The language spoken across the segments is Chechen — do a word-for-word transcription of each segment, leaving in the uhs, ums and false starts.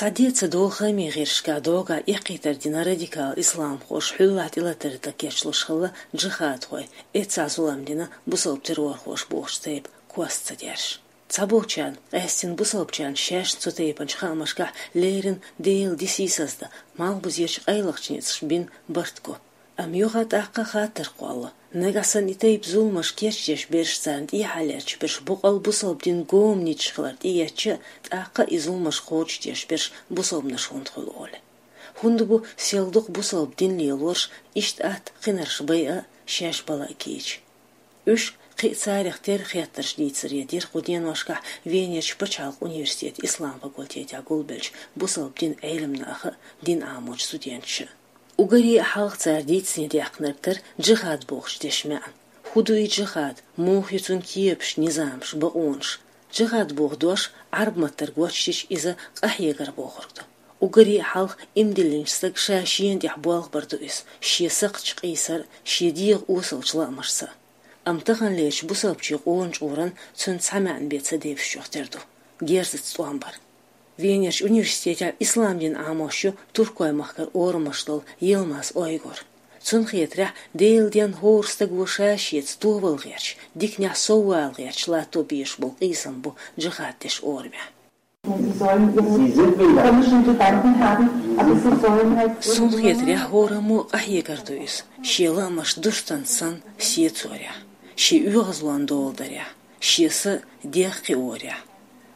Цхьа де ца долу хаамийн гӀирсашкахь дӀогахь эккхийтар дина радикал исламхоша хьуьллахь тӀелатар дан кечлуш хилла джихадхой, эццахь зулам дина бусалба террорхоша бохучу тайпа кост ца деш. Цхьаболчарна, къаьстина бусалбачарна шаьшна цу тайпанчу хаамашкахь леррина Делан дин сийсаздан, малхбузерчу къайлахчу ницкъаша бина барт го. Амма юха а тӀаккха хаттар кхоллало: нагахь санна и тайпа зуламаш кечдеш берш, царна тӀехьа лерча берш боккъал бусалба динан гоманичаш хилар тӀеэцча а, тӀаккха а и зуламаш кхочушдеш берш бусалбанаш хӀунда хуьлу олий. ХӀунда бу сел дукха бусалба дин лелорш иштта атта кхинарш байа а, шаьш бала а кийча? Уьш, кхин а царах терра хеттарш дийцаре дира кху деношкахь Венерчу пачхьалкхан университетан ислам факультетехь гулбеллачу бусалба динан Ӏелам наха а, дин Ӏамочу студенташа а. Уггаре а хьалха цара дийцаре даьккхинарг дара джихад бохучу дешан маьӀна. ХӀун ду и джихад, муха ю цуьнан кепаш, низамаш, бакъонаш? Джихад боху дош Ӏаьрбийн маттара гочдича, иза къахьегар бохург ду. Уггаре а хьалха иман диллинчу стага ша шена тӀехь болх бар ду иза, шен сакхташ къийсар а, шен дегӀан осалчу лаамашца а. Амма таханлерчу бусалбачийн къона чкъуран цуьнан цхьа маьӀна бен ца девзачух тера ду: герзаца тӀом бар. Венерчу университетехь ислам дин Ӏамош ю Туркойн махкара орамаш долу Йылмаз Ойгур. Цунна хетарехь, Делан денна хӀора стага ша шеца товалла гӀерташ, диканехь соввала гӀерташ латто безаш болу къийсам бу джихад деш орамехь. Суна хетарехь, хӀораммо къахьегар ду иза, шен лаамаш дустан санна сецорехь, шен оьгӀазлонан дола дарехь, шен са дегӀ кхиорехь.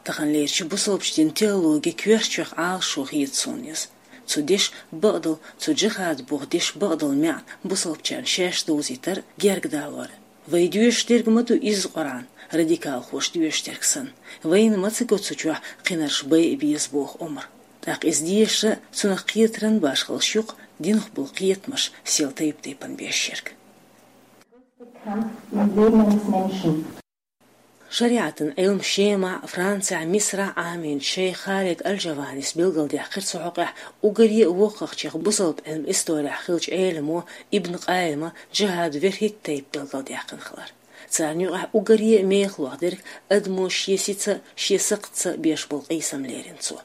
Таханлерчу бусалбачу динан теологин коьртачех Ӏалашо хета суна иза. Цу дешан бакъдолу, цу джихад боху дешан бакъдолу маьӀна бусалбачарна шаьш довзийтар а, гергадалор а. Вай доьшуш дерг ма ду изза Къуръан, радикалхоша доьшуш дерг санна. Вайна ма ца го цу чохь кхинарш байа беза боху омра. ТӀаккха иза дешар а, цунах кхетаран башхаллаш ю-кх динах болу кхетамаш сел тайп-тайпана беш ерг. ШариӀатан Ӏилма Шемахь, Францехь, Мисрахь Ӏамийначу шайх Халид Аль-Джаванис билгалдаьккхира цу хьокъехь уггаре а воккхахчех бусалба Ӏилман исторехь хиллачу Ӏеламо Ибн Къаййима джихад верхӀитта тайпа билгалдаьккхина хилар. Царна юкъахь уггаре а мехаллех дерг адамо шен сица а, шен сакхтаца а беш болу къийсам лерина цо.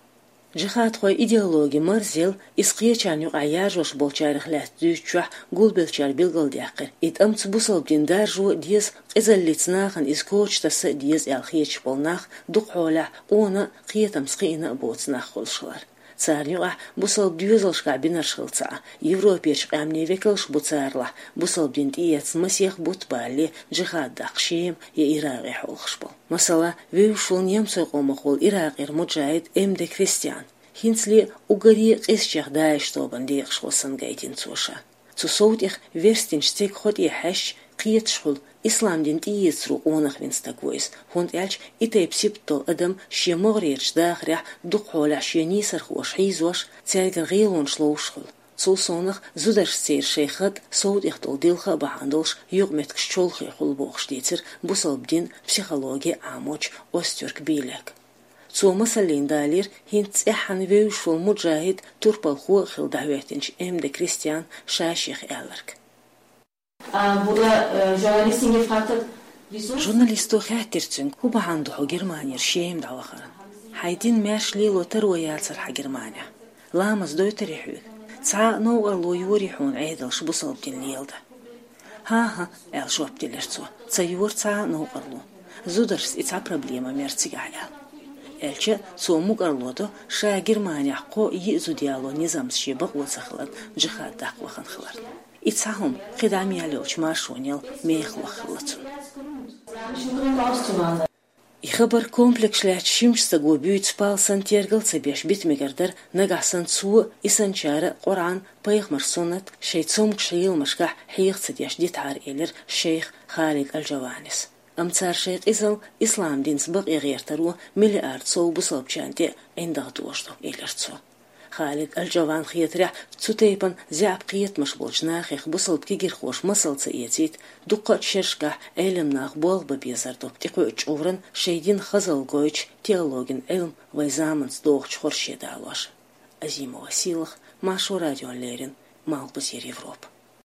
Джихадхойн идеологи марзъелла, иза кхечарна юкъахь яржош болчарех лаьцна дуьйцучохь гулбеллачара билгалдаьккхира: и тӀамца бусалба дин даржо а деза, къизаллица нахана иза коча таса а деза аьлла хеташ болу нах дукха хьолехь къона а, кхетамца кхиъна а боцу нах хуьлуш хилар. Царна юкъахь бусалба доьзалшкахь бинарш хилла ца Ӏа, Европерчу къаьмнийн векалш бу царалахь, бусалба дин тӀеэцна масех бутт балале джихад даккха Шема я Иракъе хьолахаш болу. Масала, вевзаш волу немцойн къомах волу Иракъера муджахид М. Д. Кристиан, хӀинцале а уггаре а къизачех ДАИШ тобанан декъашхо санна гайтина цо ша. Цу сов тӀех верстинчу стеган хьо тӀе хьаьжча, кхеташ хуьлу, ислам дин тӀеэцаро къонах вина стаг ву иза, хӀунда аьлча и тайпа сибат долу адам шен могӀарерчу дахарехь дукха хьолехь шен нийсархоша хьийзош, цаьргара гӀелонаш ловзуш хуьлу. Цул совнаха зударшца церан шайн хатӀ, сов тӀех долу дилха а бахьана долуш, юкъаметтигаш чолхе хуьлу бохуш дийцира бусалба динан психологи Ӏамочу Остюрк Билек. Цо масаллина далийра хӀинца цӀеххьана вевзаш волу муджахид, турпалхо а хилла дӀахӀоьттинчу М. Д. Кристиан ша шех аьлларг. А, burada, e, journalistin gefragt hat, wieso? Журналисто хаьттира цуьнга, хӀун бахьана ду хьо Германера Шема дӀавахар? Хьайн дин маьрша лело таро яцара хьан Германехь? Ламаз дойтарий хьоьга? Цхьа а новкъарло йорий хьуна Ӏедалша бусалба дин леладан? «ХӀан-хӀа», — аьлла жоп делира цо, — «ца йора цхьа а новкъарло. Зударшца и цхьа проблема мера цигахь», — аьлла. Аьлча а цо мукӀарло до, ша Германехь кхо-йиъ зуда яло низамца шен бакъо ца хиларна, джихад даккха вахана хиларна. И цхьа хӀума кхин дӀа мел йолчу маршонел мехаллех хилла цунна. И хабар комплекс лаьцна шимчу стага буьйцу пал санна тергал ца беш бита мегар дара, нагахь санна цо а, и санначара а Къуръан, пайхамаран суннат шайн цомгуш леламашкахь хьеха ца деш дитахьара, элира шайх Халид Аль-Джаванис. Амма цара шайн къизалла ислам динца бакъе гӀертаро миллиард сов бусалбачарна тӀе а ӀиндагӀ дожадо, элира цо. Халид Аль-Джаванна хетарехь, цу тайпана заьӀап кхетамаш болчу нахех бусалба кегирхоша масал ца эцийта, дуккха а шерашкахь Ӏелам наха болх бан безар ду тӀекхуьучу чкъуран шайн дин хазалла гойтучу теологин Ӏилма вайн заманца догӀучу хорше далош. Азимова Сийлаха, Маршо радиона леррина, Малхбузера Европа.